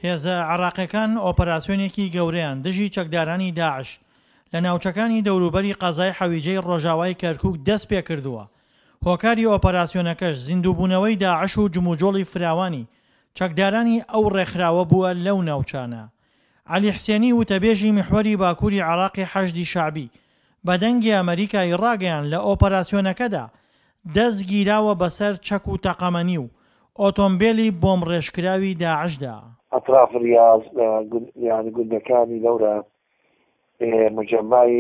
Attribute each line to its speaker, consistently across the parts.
Speaker 1: هێزە عێراقیەکان ئۆپەراسیۆنێکی گەورەیان دژی چەکدارانی داعش لە ناوچەکانی دەوروبەری قەزای حەویجەی ڕۆژاوای کەرکوک دەستپێکردووە، هۆکاری ئۆپەراسیۆنەکەش زیندووبوونەوەی داعش و جموجۆڵی فراوانی چەکدارانی ئەو ڕێکخراوە بووە لەو ناوچانە. عەلی حسێنی وتەبێژی میحوەری باکوری عێراقی حەشدی شەعبی بە دەنگی ئەمەریکای ڕاگەیاند لە ئۆپەراسیۆنەکەدا دەست گیراوە بەسەر چەک و تەقەمەنی و ئۆتۆمبێلی بۆمڕێژکراوی داعشدا.
Speaker 2: ئەتراف ریاز لە یانی گوندەکانی لەورە مجەمای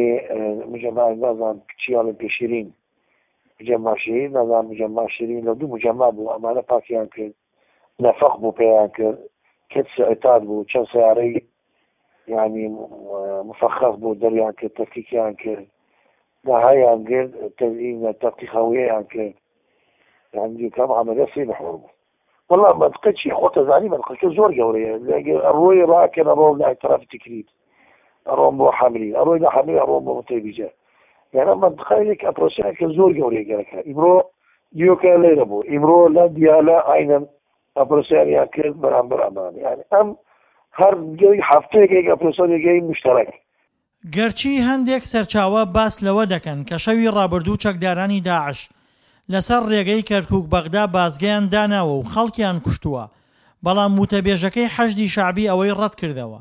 Speaker 2: مجەمای نازانم چی ئەڵێن پێ شیرین مجەما شیرین نازانم مجەما شیرین لە دوو مجەما بوو ئەمانە پاکیان کرد نەفەق بوو پێیان کرد کەچ عتاد بوو چەند سیارەی یعنی مفخخ بوو دەریان کرد تەفکیکیان کرد داهایان کرد تەزیین تەفکیخەوەیان کرد یعنی کەم عملیە سی محور بوو والله منطقة چی خۆتە زانی منطقەکە زۆر گەورەیە ئەڕۆی ڕاکەن ئەڕۆم لای تەرەف تکریت ئەڕۆم بۆ حەمری ئەڕۆی لە حەمری ئەڕۆم بۆ متەیبیجە یعنی منطقەیەک ئەپرۆسیان زۆر گەورەیە گەرەکە ئیمڕۆ دیۆکە لێرە بوو ئیمڕۆ لە دیالە ئاینەن ئەپرۆسیانیان کرد بەرامبەر ئەمان یعنی ئەم هەر هەفتەیەکێک ئەپرۆسیانێکی مشتەرەک.
Speaker 1: گەرچی هەندێک سەرچاوە باس لەوە دەکەن کە شەوی ڕابردوو چەکدارانی داعش لەسەر ڕێگەی کەرکوک-بەغدا بازگەیان داناوە و خەڵکیان کوشتووە، بەڵام وتەبێژەکەی حەشدی شەعبی ئەوەی ڕەتکردەوە.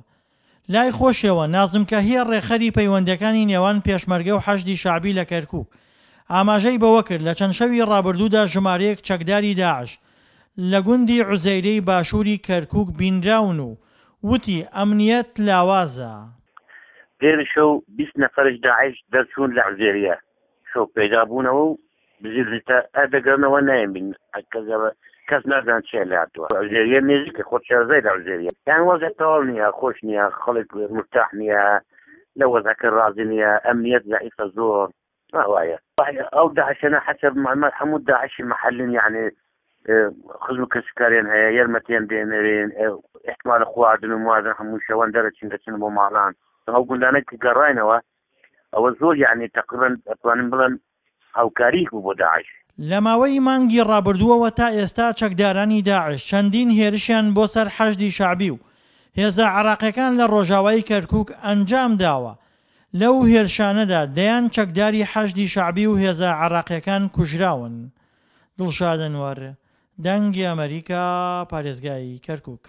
Speaker 1: لای خۆشیەوە نازم کەهیە ڕێکخەری پەیوەندیەکانی نێوان پێشمەرگە و حەشدی شەعبی لە کەرکوک ئاماژەی بەوەکرد لە چەند شەوی ڕابردوودا ژمارەیەک چەکداری داعش لە گوندی عوزەیرەی باشووری کەرکوک بینراون و وتی ئەمنیەت لاوازە.
Speaker 3: پێر شەو 20 نەفەرش داعش دەرچوون لە عوزێریە شەو پەیدا بوونەوە و بزیرزیتە ئە دەگەرنەوە نایەن بین کەس نازان چیە لێ هاتووە عوزێریە نێزیکە خۆت شارەزای لە عوزێریە یان وەزع تەواو نییە خۆش نییە خەڵک مرتاح نییە لە وەزعەکە ڕازی نییە ئەمنیەت زەعیفە زۆر وایە ئەو داعشەنە حەسەب معلومات هەموو داعشی محلن یعنی خزم و کەسوکاریان هەیە یارمەتیان دێنەرێن احتمال خواردن و موازن هەموو شەوان دەرەچن دەچن بۆ ماڵان ئەو گوندانە کە گەڕاینەوە ئەوە زۆر یعنی تقریبا ئەتوانم بڵێم هاوکاریک بوو بۆ داعش.
Speaker 1: لە ماوەی مانگی ڕابردووەوە تا ئێستا چەکدارانی داعش چەندین هێرشیان بۆ سەر حەشدی شەعبی و هێزە عێراقیەکان لە ڕۆژاوای کەرکوک ئەنجام داوە، لەو هێرشانەدا دەیان چەکداری حەشدی شەعبی و هێزە عێراقیەکان کوژراون. دڵشاد ئەنوەر، دەنگی ئەمەریکا، پارێزگای کەرکوک.